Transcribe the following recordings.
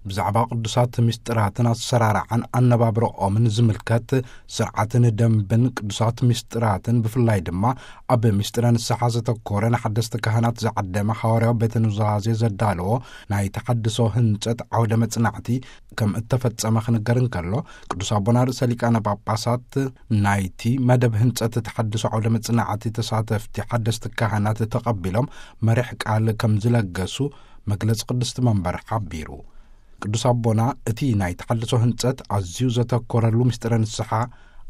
ብዛዕባ ቅዱሳት ምስጢራትን ኣሰራርዓን ኣነባብረኦምን ዝምልከት ስርዓትን ደንብን ቅዱሳት ምስጢራትን፣ ብፍላይ ድማ ኣብ ምስጢረ ንስሓ ዘተኮረ፣ ንሓደስቲ ካህናት ዝዓደመ ሓዋርያዊ ቤተ ኑዛዜ ዘዳለዎ ናይ ተሓድሶ ህንጸት ዓውደ መጽናዕቲ ከም እተፈጸመ ክንገር እንከሎ፣ ቅዱስ ኣቦና ርእሰ ሊቃነ ጳጳሳት ናይቲ መደብ ህንጸት ተሓድሶ ዓውደ መጽናዕቲ ተሳተፍቲ ሓደስቲ ካህናት ተቐቢሎም መሪሕ ቃል ከም ዝለገሱ መግለጺ ቅድስቲ መንበር ሓቢሩ። ቅዱስ ኣቦና እቲ ናይ ተሓድሶ ህንጸት ኣዝዩ ዘተኮረሉ ምስጢረ ንስሓ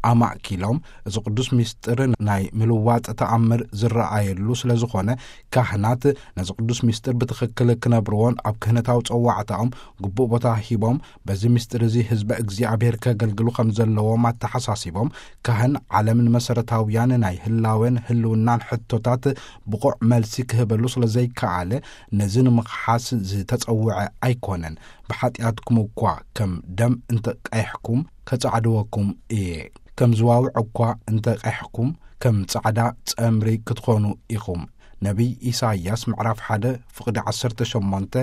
ኣማእኪሎም፣ እዚ ቅዱስ ምስጢር ናይ ምልዋጥ ተኣምር ዝረኣየሉ ስለ ዝኾነ፣ ካህናት ነዚ ቅዱስ ምስጢር ብትኽክል ክነብርዎን ኣብ ክህነታዊ ጸዋዕታኦም ግቡእ ቦታ ሂቦም፣ በዚ ምስጢር እዚ ህዝበ እግዚኣብሔር ከገልግሉ ከም ዘለዎም ኣተሓሳሲቦም፣ ካህን ዓለምን መሰረታውያን ናይ ህላዌን ህልውናን ሕቶታት ብቑዕ መልሲ ክህበሉ ስለ ዘይከኣለ፣ ነዚ ንምኽሓስ ዝተጸውዐ ኣይኮነን። ብሓጢኣትኩም እኳ ከም ደም እንተ ቀይሕኩም፣ ከጻዕድወኩም እየ። ከም ዝዋውዕ እኳ እንተ ቀይሕኩም፣ ከም ጻዕዳ ጸምሪ ክትኾኑ ኢኹም። ነቢይ ኢሳይያስ ምዕራፍ ሓደ ፍቕዲ ዓሰርተ ሸሞንተ፣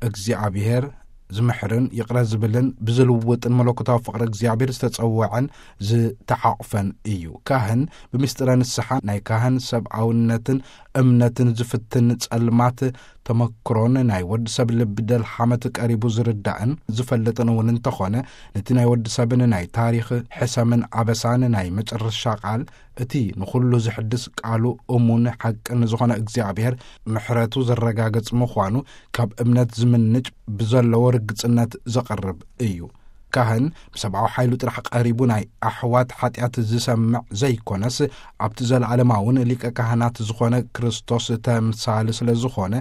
እግዚኣብሔር ዝምሕርን ይቕረ ዝብልን ብዝልውጥን መለኮታዊ ፍቕሪ እግዚኣብሔር ዝተጸውዐን ዝተሓቑፈን እዩ። ካህን ብምስጢረ ንስሓ ናይ ካህን ሰብኣውነትን እምነትን ዝፍትን ጸልማት ተመክሮን ናይ ወዲ ሰብ ልቢ ደልሓመት ቀሪቡ ዝርዳእን ዝፈልጥን እውን እንተኾነ፣ ነቲ ናይ ወዲ ሰብን ናይ ታሪኽ ሕሰምን ኣበሳን ናይ መጨረሻ ቃል፣ እቲ ንኹሉ ዝሕድስ ቃሉ እሙን ሓቅን ዝኾነ እግዚኣብሔር ምሕረቱ ዘረጋግጽ ምዃኑ ካብ እምነት ዝምንጭ ብዘለዎ ርግጽነት ዘቕርብ እዩ። ካህን ብሰብኣዊ ሓይሉ ጥራሕ ቀሪቡ ናይ ኣሕዋት ሓጢኣት ዝሰምዕ ዘይኮነስ፣ ኣብቲ ዘለዓለማውን ሊቀ ካህናት ዝኾነ ክርስቶስ ተምሳሊ ስለ ዝኾነ፣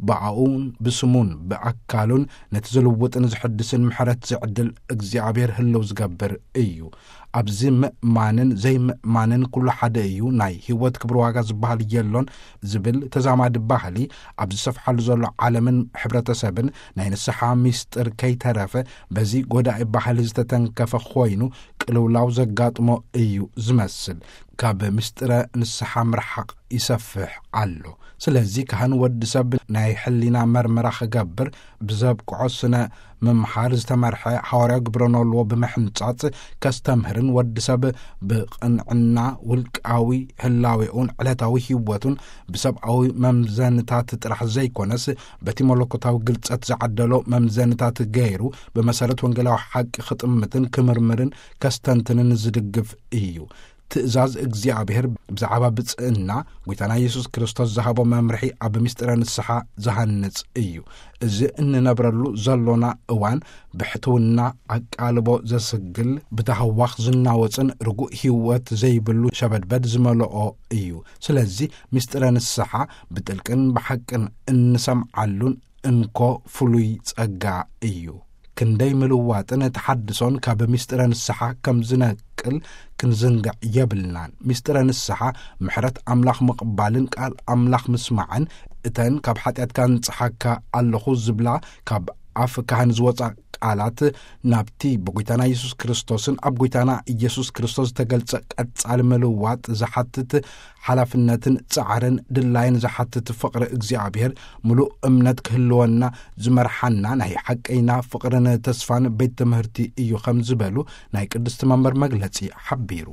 ብኣኡን ብስሙን ብኣካሉን ነቲ ዝልውጥን ዝሕድስን ምሕረት ዝዕድል እግዚኣብሔር ህልው ዝገብር እዩ። ኣብዚ ምእማንን ዘይምእማንን ኩሉ ሓደ እዩ፣ ናይ ህይወት ክብሪ ዋጋ ዝበሃል የሎን ዝብል ተዛማዲ ባህሊ ኣብ ዝሰፍሓሉ ዘሎ ዓለምን ሕብረተሰብን ናይ ንስሓ ሚስጥር ከይተረፈ በዚ ጎዳኢ ባህሊ ዝተተንከፈ ኮይኑ ቅልውላው ዘጋጥሞ እዩ ዝመስል። ካብ ምስጢረ ንስሓ ምርሓቕ ይሰፍሕ ኣሎ። ስለዚ ካህን ወዲ ሰብ ናይ ሕሊና መርመራ ክገብር ብዘብቅዖ ስነ ምምሓር ዝተመርሐ ሓዋርያዊ ግብረ ኖልዎ ብምሕንጻጽ ከስተምህርን ወዲ ሰብ ብቕንዕና ውልቃዊ ህላዌኡን ዕለታዊ ህይወቱን ብሰብኣዊ መምዘንታት ጥራሕ ዘይኮነስ በቲ መለኮታዊ ግልጸት ዝዓደሎ መምዘንታት ገይሩ ብመሰረት ወንጌላዊ ሓቂ ክጥምትን ክምርምርን ከስተንትንን ዝድግፍ እዩ። ትእዛዝ እግዚኣብሔር ብዛዕባ ብጽእና ጐይታና የሱስ ክርስቶስ ዝሃቦ መምርሒ ኣብ ምስጢረ ንስሓ ዝሃንጽ እዩ። እዚ እንነብረሉ ዘሎና እዋን ብሕትውና ኣቃልቦ ዘስግል፣ ብታህዋኽ ዝናወጽን ርጉእ ህይወት ዘይብሉ ሸበድበድ ዝመልኦ እዩ። ስለዚ ምስጢረ ንስሓ ብጥልቅን ብሓቅን እንሰምዓሉን እንኮ ፍሉይ ጸጋ እዩ። ክንደይ ምልዋጥን ተሓድሶን ካብ ምስጢረ ንስሓ ከም ዝነቅል ክንዝንግዕ የብልናን። ምስጢረ ንስሓ ምሕረት ኣምላኽ ምቕባልን ቃል ኣምላኽ ምስማዕን፣ እተን ካብ ሓጢኣትካ ኣንጽሓካ ኣለኹ ዝብላ ካብ ኣፍ ካህን ዝወጻ ቃላት ናብቲ ብጎይታና የሱስ ክርስቶስን ኣብ ጎይታና ኢየሱስ ክርስቶስ ዝተገልጸ ቀጻሊ ምልዋጥ ዝሓትት ሓላፍነትን ጻዕርን ድላይን ዝሓትት ፍቕሪ እግዚኣብሔር ምሉእ እምነት ክህልወና ዝመርሓና ናይ ሓቀይና ፍቕርን ተስፋን ቤት ትምህርቲ እዩ ከም ዝበሉ ናይ ቅድስቲ መንበር መግለጺ ሓቢሩ።